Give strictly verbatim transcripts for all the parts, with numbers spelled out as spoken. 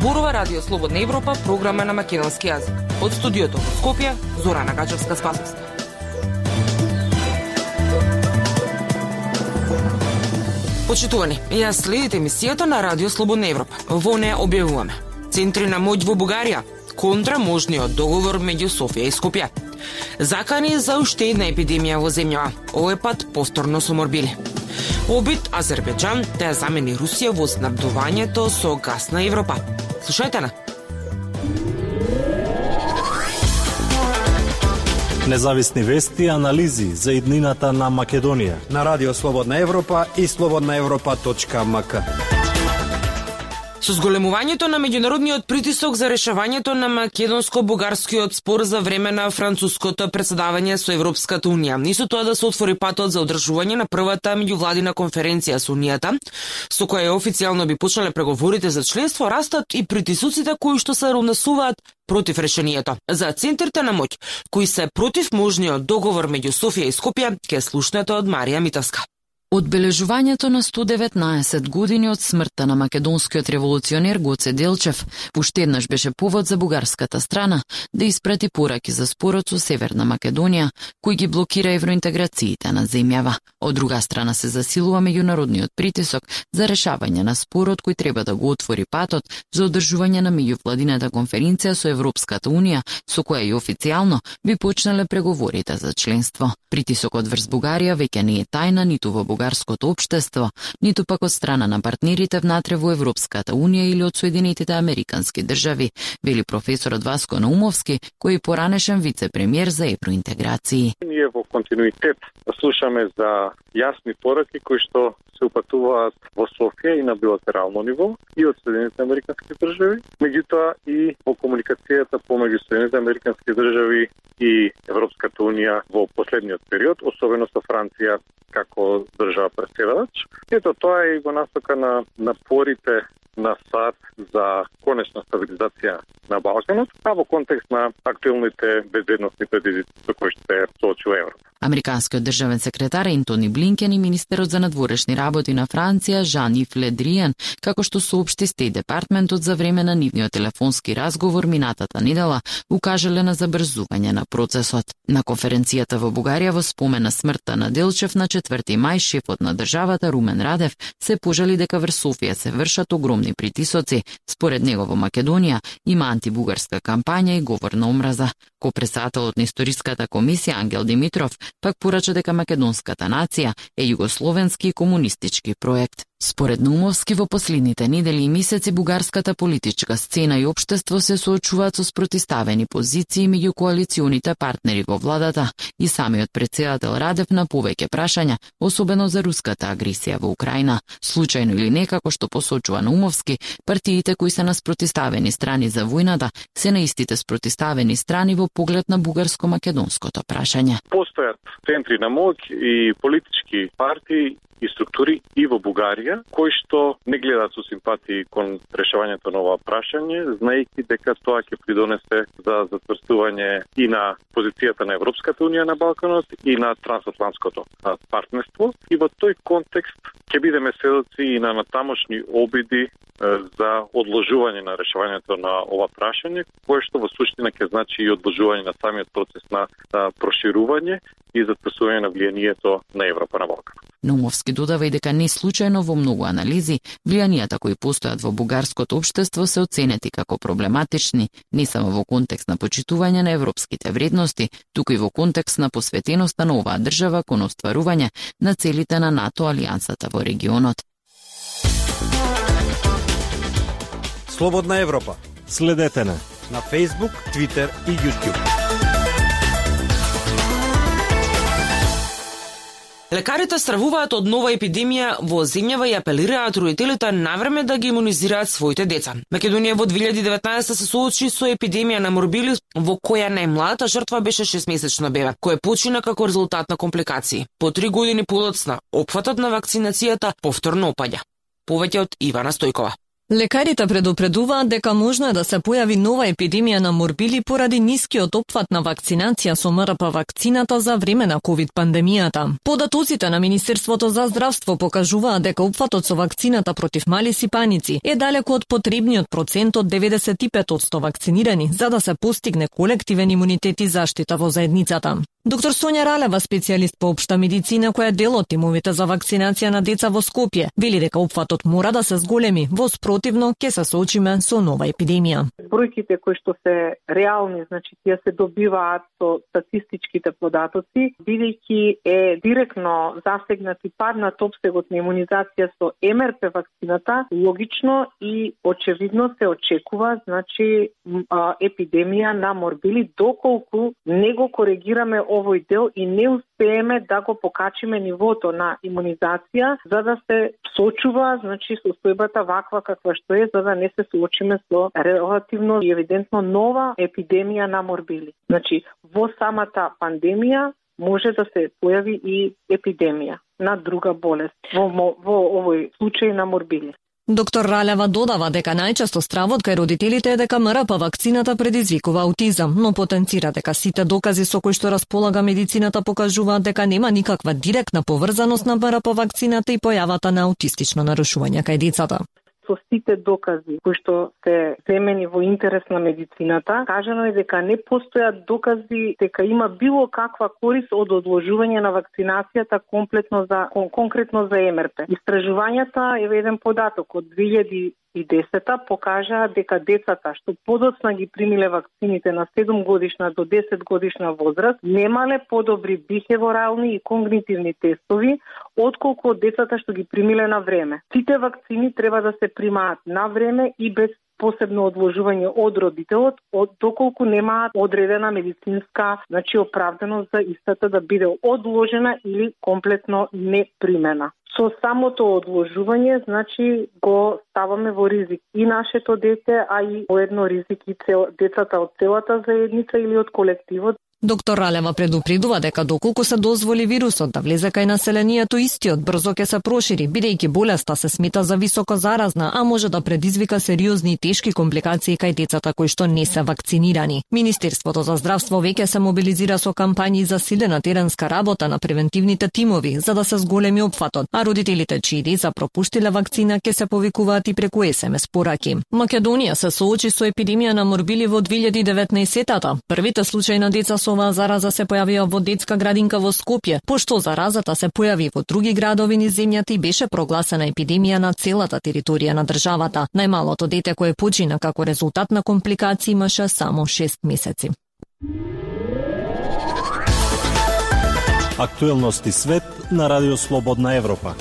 Зборува Радио Слободна Европа, програма на македонски јазик. Од студиото во Скопје, Зорана Гачевска-Спасовска. Почитувани, ја следите емисијата на Радио Слободна Европа. Во неја објавуваме центри на моќ во Бугарија, контра можниот договор меѓу Софија и Скопје. Закани за уште една епидемија во земјава, овој пат повторно со морбили. Обид Азербејџан да ја замени Русија во снабдувањето со газ на Европа. Слушајте на. Независни вести и анализи за иднината на Македонија на Радио Слободна Европа и слободна европа точка ем ка. Со зголемувањето на меѓународниот притисок за решавањето на македонско-бугарскиот спор за време на француското претседавање со Европската унија, и со тоа да се отвори патот за одржување на првата меѓувладина конференција со Унијата, со која официјално би почнале преговорите за членство, растат и притисоците кои што се равнасуваат против решението. За центрите на моќ, кои се против можниот договор меѓу Софија и Скопје, ќе слушнете од Марија Митовска. Одбележувањето на сто деветнаесет години од смртта на македонскиот револуционер Гоце Делчев уште еднаш беше повод за бугарската страна да испрати пораки за спорот со Северна Македонија, кој ги блокира евроинтеграциите на земјава. Од друга страна се засилува меѓународниот притисок за решавање на спорот кој треба да го отвори патот за одржување на меѓувладината конференција со Европската унија, со која и официјално би почнале преговорите за членство. Притисокот врз Бугарија веќе не е тајна ниту во бугарското општество, ниту пак од страна на партнерите внатре во Европската унија или од Соединетите американски држави, вели професорот Васко Наумовски, кој е поранешен вице-премиер за евроинтеграции. Ние во континуитет слушаме за јасни пораки кои што се упатуваат во Софија и на билатерално ниво и од Соединетите американски држави, меѓутоа и во комуникацијата помеѓу Соединетите американски држави и Европската унија во последниот период, особено со Франција како држава претседавач. Ето тоа е и во насока на напорите на САД за конечна стабилизација на Балканот, а во контекст на актуелните безбедносни предизвици со кои што се соочува Европа. Американскиот државен секретар Ентони Блинкен и министерот за надворешни работи на Франција Жан-Ив Ле Дриен, како што соопшти Стејт департментот за време на нивниот телефонски разговор минатата недела, укажале на забрзување на процесот. На конференцијата во Бугарија во спомен на смртта на Делчев на четврти мај, шефот на државата Румен Радев се пожали дека врз Софија се вршат огромни притисоци. Според него во Македонија има антибугарска кампања и говор на омраза. Ко-председателот на историската комисија Ангел Димитров пак порача дека македонската нација е југословенски и комунистички проект. Според Наумовски, во последните недели и месеци бугарската политичка сцена и општество се соочуваат со спротиставени позиции меѓу коалиционите партнери во владата и самиот претседател Радев на повеќе прашања, особено за руската агресија во Украина. Случајно или не, како што посочува Наумовски, партиите кои се на спротиставени страни за војната се на истите спротиставени страни во поглед на бугарско-македонското прашање. Постојат центри на моќ и политички партии и структури и во Бугарија, кои што не гледаат со симпатии кон решавањето на ова прашање, знаејќи дека тоа ќе придонесе за затврстување и на позицијата на Европската унија на Балканот и на трансатлантското партнерство. И во тој контекст ќе бидеме сведоци и на натамошни обиди за одложување на решавањето на ова прашање, кое што во суштина ќе значи и одложување на самиот процес на проширување и затврстување на влијанието на Европа на Балкан. Наумовски додава и дека не случајно во многу анализи влијанијата кои постојат во бугарското општество се оценети како проблематични не само во контекст на почитување на европските вредности, туку и во контекст на посветеноста на оваа држава кон остварување на целите на НАТО алијансата во регионот. Слободна Европа. Следете на на Facebook, Twitter и YouTube. Лекарите стравуваат од нова епидемија во земјава и апелираат родителите навреме да ги имунизираат своите деца. Македонија во две илјади и деветнаесетта се соочи со епидемија на морбили во која најмладата жртва беше шестмесечно бебе, кој почина како резултат на компликации. По три години подоцна, опфатот на вакцинацијата повторно опаѓа. Повеќе од Ивана Стојкова. Лекарите предупредуваат дека можно е да се појави нова епидемија на морбили поради нискиот опфат на вакцинација со МРП вакцината за време на ковид пандемијата. Податоците на Министерството за здравство покажуваат дека опфатот со вакцината против мали сипаници е далеку од потребниот процент од деветдесет и пет одсто вакцинирани за да се постигне колективен имунитет и заштита во заедницата. Доктор Сонја Ралева, специјалист по општа медицина која е дел од тимовите за вакцинација на деца во Скопје, вели дека опфатот мора да се зголеми, во спротивно ќе се соочиме со нова епидемија. Бројките кои што се реални, значи тие се добиваат со статистичките податоци, бидејќи е директно засегнат и паднат опсегот на имунизација со МРП вакцината, логично и очевидно се очекува, значи епидемија на морбили доколку не го коригираме овој дел и не успееме да го покачиме нивото на имунизација за да се сочува, значи состојбата ваква каква што е, за да не се соочиме со релативно и евидентно нова епидемија на морбили. Значи во самата пандемија може да се појави и епидемија на друга болест во, во овој случај на морбили. Доктор Ралева додава дека најчесто стравот кај родителите е дека МРП вакцината предизвикува аутизам, но потенцира дека сите докази со кои што располага медицината покажуваат дека нема никаква директна поврзаност на МРП вакцината и појавата на аутистично нарушување кај децата. Со сите докази кои што се земени во интерес на медицината, кажано е дека не постојат докази дека има било каква корист од одложување на вакцинацијата комплетно за конкретно за МРП. Истражувањата е еден податок од две илјади и десета покажаа дека децата што подоцна ги примиле вакцините на седум годишна до десет годишна возраст немале подобри бихеворални и когнитивни тестови отколку од децата што ги примиле на време. Сите вакцини треба да се примаат на време и без посебно одложување од родителот, од доколку немаат одредена медицинска, значи оправданост за истата да биде одложена или комплетно не примена. Со самото одложување, значи, го ставаме во ризик и нашето дете, а и воедно ризик и цел, децата од целата заедница или од колективот. Доктор Ралева предупредува дека доколку се дозволи вирусот да влезе кај населението, истиот брзо ќе се прошири, бидејќи болеста се смета за високо заразна, а може да предизвика сериозни и тешки компликации кај децата кои што не се вакцинирани. Министерството за здравство веќе се мобилизира со кампањи за силена теренска работа на превентивните тимови за да се зголеми опфатот, а родителите чии деца пропуштиле вакцина ќе се повикуваат и преку ес ем ес пораки. Македонија се соочи со епидемија на морбили во две илјади и деветнаесета. Првите случаи на деца со оваа зараза се појавија во детска градинка во Скопје, пошто заразата се појави во други градови низ земјата и беше прогласена епидемија на целата територија на државата. Најмалото дете кое почина како резултат на компликации имаше само шест месеци. Актуелности свет на Радио Слободна Европа.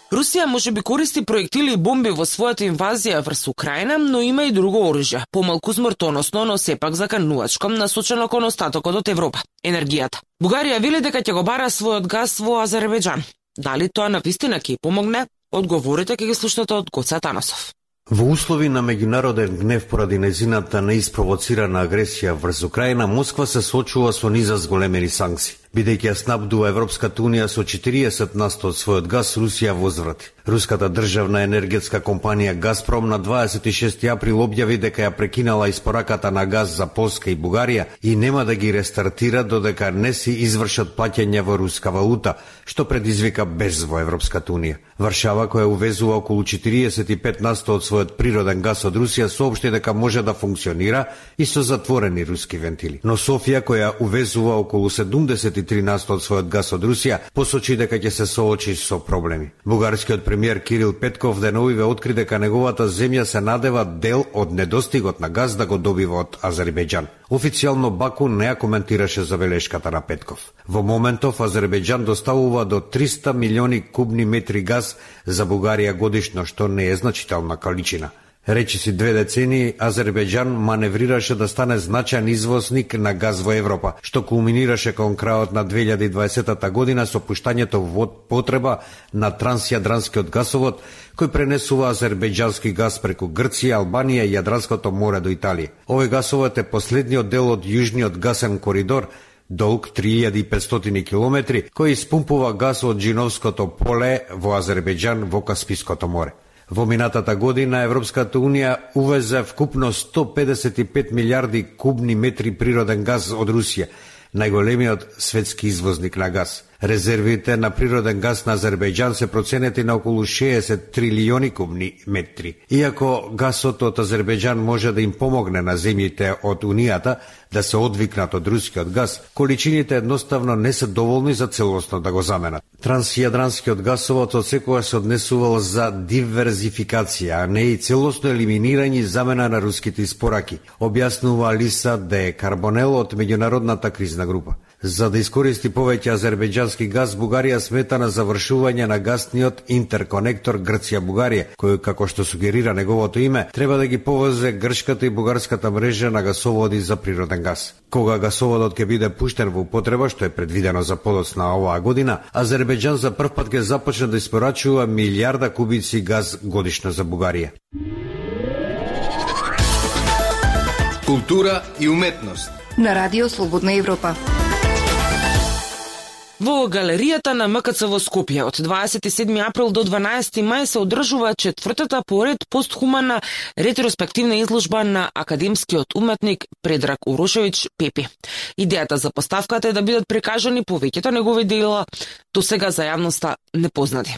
Русија можеби користи проектили и бомби во својата инвазија врз Украина, но има и друго оружје, помалку смртоносно, но сепак заканувачко, насочено кон остатокот од Европа – енергијата. Бугарија вели дека ќе го бара својот газ во Азербејџан. Дали тоа навистина ќе помогне? Одговорите ќе ги слушнете од Гоце Атанасов. Во услови на меѓународен гнев поради нејзината неиспровоцирана агресија врз Украина, Москва се соочува со низа зголемени санкции. Бидејќи ја снабдува Европската унија со четириесет на сто од својот газ, Русија возврати. Руската државна енергетска компанија Газпром на дваесет и шести април објави дека ја прекинала испораката на газ за Полска и Бугарија и нема да ги рестартира додека не си извршат плаќања во руска валута, што предизвика без во Европската унија. Варшава, која увезува околу четириесет и пет на сто од својот природен газ од Русија, соопшти дека може да функционира и со затворени руски вентили. Но Софија, која увезува околу седумдесет и три на сто од својот газ од Русија, посочи дека ќе се соочи со проблеми. Бугарскиот премиер Кирил Петков деновиве откри дека неговата земја се надева дел од недостигот на газ да го добива од Азербејџан. Официјално Баку не ја коментираше забелешката на Петков. Во моментов Азербејџан доставува до триста милиони кубни метри газ за Бугарија годишно, што не е значителна количина. Речиси две децении, Азербејџан маневрираше да стане значаен извозник на газ во Европа, што кулминираше кон крајот на две илјади и дваесета година со пуштањето во потреба на трансјадранскиот гасовод, кој пренесува азербејџански газ преку Грција, Албанија и Јадранското море до Италија. Овој гасовод е последниот дел од јужниот гасен коридор, долг три илјади и петстотини километри, кој испумпува газ од Джиновското поле во Азербејџан во Каспиското море. Во минатата година Европската Унија увезе вкупно сто педесет и пет милиарди кубни метри природен газ од Русија, најголемиот светски извозник на газ. Резервите на природен газ на Азербејџан се проценети на околу шеесет трилиони кубни метри. Иако газот од Азербејџан може да им помогне на земјите од Унијата да се одвикнат од рускиот газ, количините едноставно не се доволни за целосно да го заменат. Трансјадранскиот гасовод одсекогаш се однесувал за диверзификација, а не и целосно елиминирање и замена на руските испораки, објаснува Алиса Де Карбонел од меѓународната кризна група. За да искористи повеќе азербејџански газ, Бугарија смета на завршување на гасниот интерконектор Грција-Бугарија, кој, како што сугерира неговото име, треба да ги повезе грчката и бугарската мрежа на гасоводи за природен газ. Кога гасоводот ќе биде пуштен во употреба, што е предвидено за подоцна оваа година, Азербејџан за прв пат ќе започне да испорачува милијарда кубици газ годишно за Бугарија. Култура и уметност на Радио Слободна Европа. Во галеријата на М К Ц во Скопје од дваесет и седми април до дванаесети мај се одржува четвртата поред постхумана ретроспективна изложба на академскиот уметник Предраг Урошевиќ Пепи. Идејата за поставката е да бидат прикажани повеќето негови дела до сега за јавноста непознати.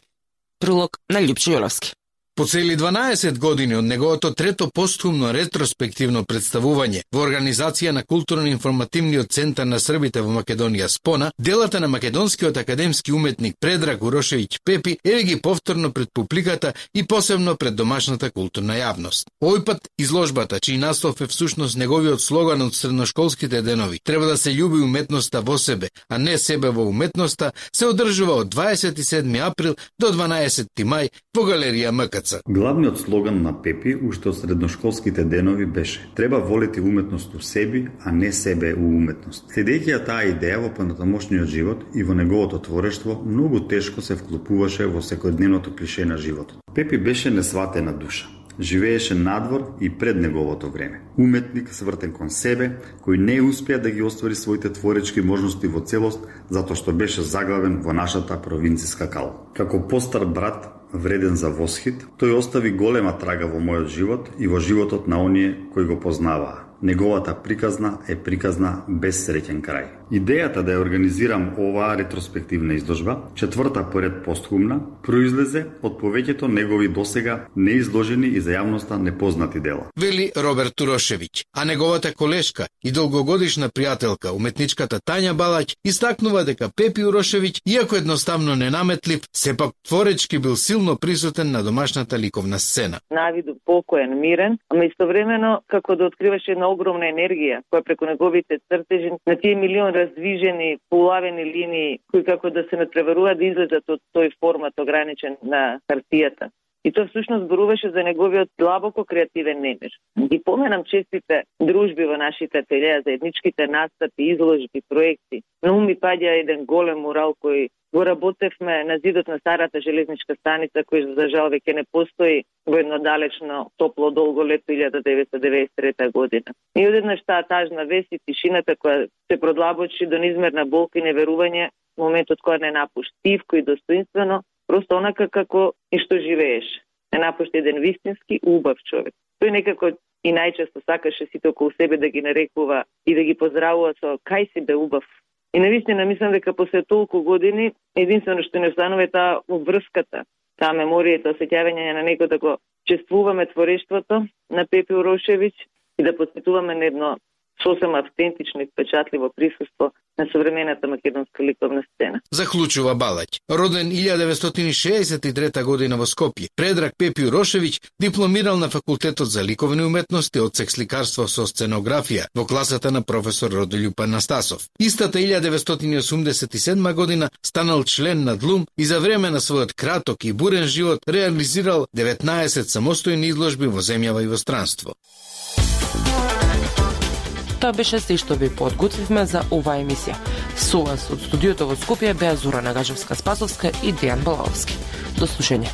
Прилог на Љупчо Јолевски. По цели дванаесет години од неговото трето постхумно ретроспективно представување во организација на културно-информативниот центар на србите во Македонија Спона, делата на македонскиот академски уметник Предраг Урошевиќ Пепи еве ги повторно пред публиката и посебно пред домашната културна јавност. Овој пат изложбата, чиј наслов е всушност неговиот слоган од средношколските денови, треба да се љуби уметноста во себе, а не себе во уметноста, се одржува од дваесет и седми април до дванаесети мај во галерија М К Ц. Главниот слоган на Пепи уште од средношколските денови беше: треба волети уметност у себе, а не себе у уметност. Следејќи ја таа идеја во понатамошниот живот и во неговото творештво, многу тешко се вклопуваше во секојдневното клише на животот. Пепи беше несватена душа. Живееше надвор и пред неговото време. Уметник свртен кон себе, кој не успеа да ги оствари своите творечки можности во целост, затоа што беше заглавен во нашата провинцијска кал. Како постар брат, вреден за восхит, тој остави голема трага во мојот живот и во животот на оние кои го познаваа. Неговата приказна е приказна без среќен крај. Идејата да ја организирам оваа ретроспективна изложба, четврта поред постхумна, произлезе од повеќето негови досега неизложени и за јавноста непознати дела. Вели Роберт Урошевиќ, а неговата колешка и долгогодишна пријателка, уметничката Тања Балаќ, истакнува дека Пепи Урошевиќ, иако едноставно ненаметлив, сепак творечки бил силно присутен на домашната ликовна сцена. Навиду покоен, мирен, ама истовремено како да откриваше една огромна енергија која преку неговите цртежи на тие милион раздвижени, полавени линии кои како да се надпреваруваат да излезат од тој формат ограничен на хартијата. И тоа всушност зборуваше за неговиот длабоко креативен немир. И поменам честите дружби во нашите ателјеа, заедничките настапи, изложби, проекти. На ум ми паѓа еден голем мурал кој го работевме на зидот на старата железничка станица, кој за жал веќе не постои во едно далечно топло долго лето илјада деветстотини деветдесет и трета година. И одеднаш таа тажна вест и тишината која се продлабочи до неизмерна болка и неверување, моментот која не напушти тивко и достоинствено, просто онака како и што живееш. Не напушти еден вистински убав човек. Тој некако и најчесто сакаше сите околу себе да ги нарекува и да ги поздравува со кај си бе убав. И навистина мислам дека после толку години единствено што не останува е таа врската, таа меморија, тоа сеќавање на некој да го чествуваме творештвото на Пепи Урошевиќ и да посветуваме на едно сосема автентично и впечатливо присуство на современата македонска ликовна сцена. Заклучува Балаќ. Роден илјада деветстотини шеесет и трета година во Скопје, Предраг Пепи Урошевиќ дипломирал на факултетот за ликовни уметности одсек сликарство со сценографија во класата на професор Родолјуп Анастасов. Истата илјада деветстотини осумдесет и седма година станал член на ДЛУМ и за време на својот краток и бурен живот реализирал деветнаесет самостојни изложби во земјава и во странство. Тоа беше се што ви подготвивме за оваа емисија. Со вас од студиото во Скопје беа Зора Нагажевска-Спасовска и Дејан Балаовски. До слушање.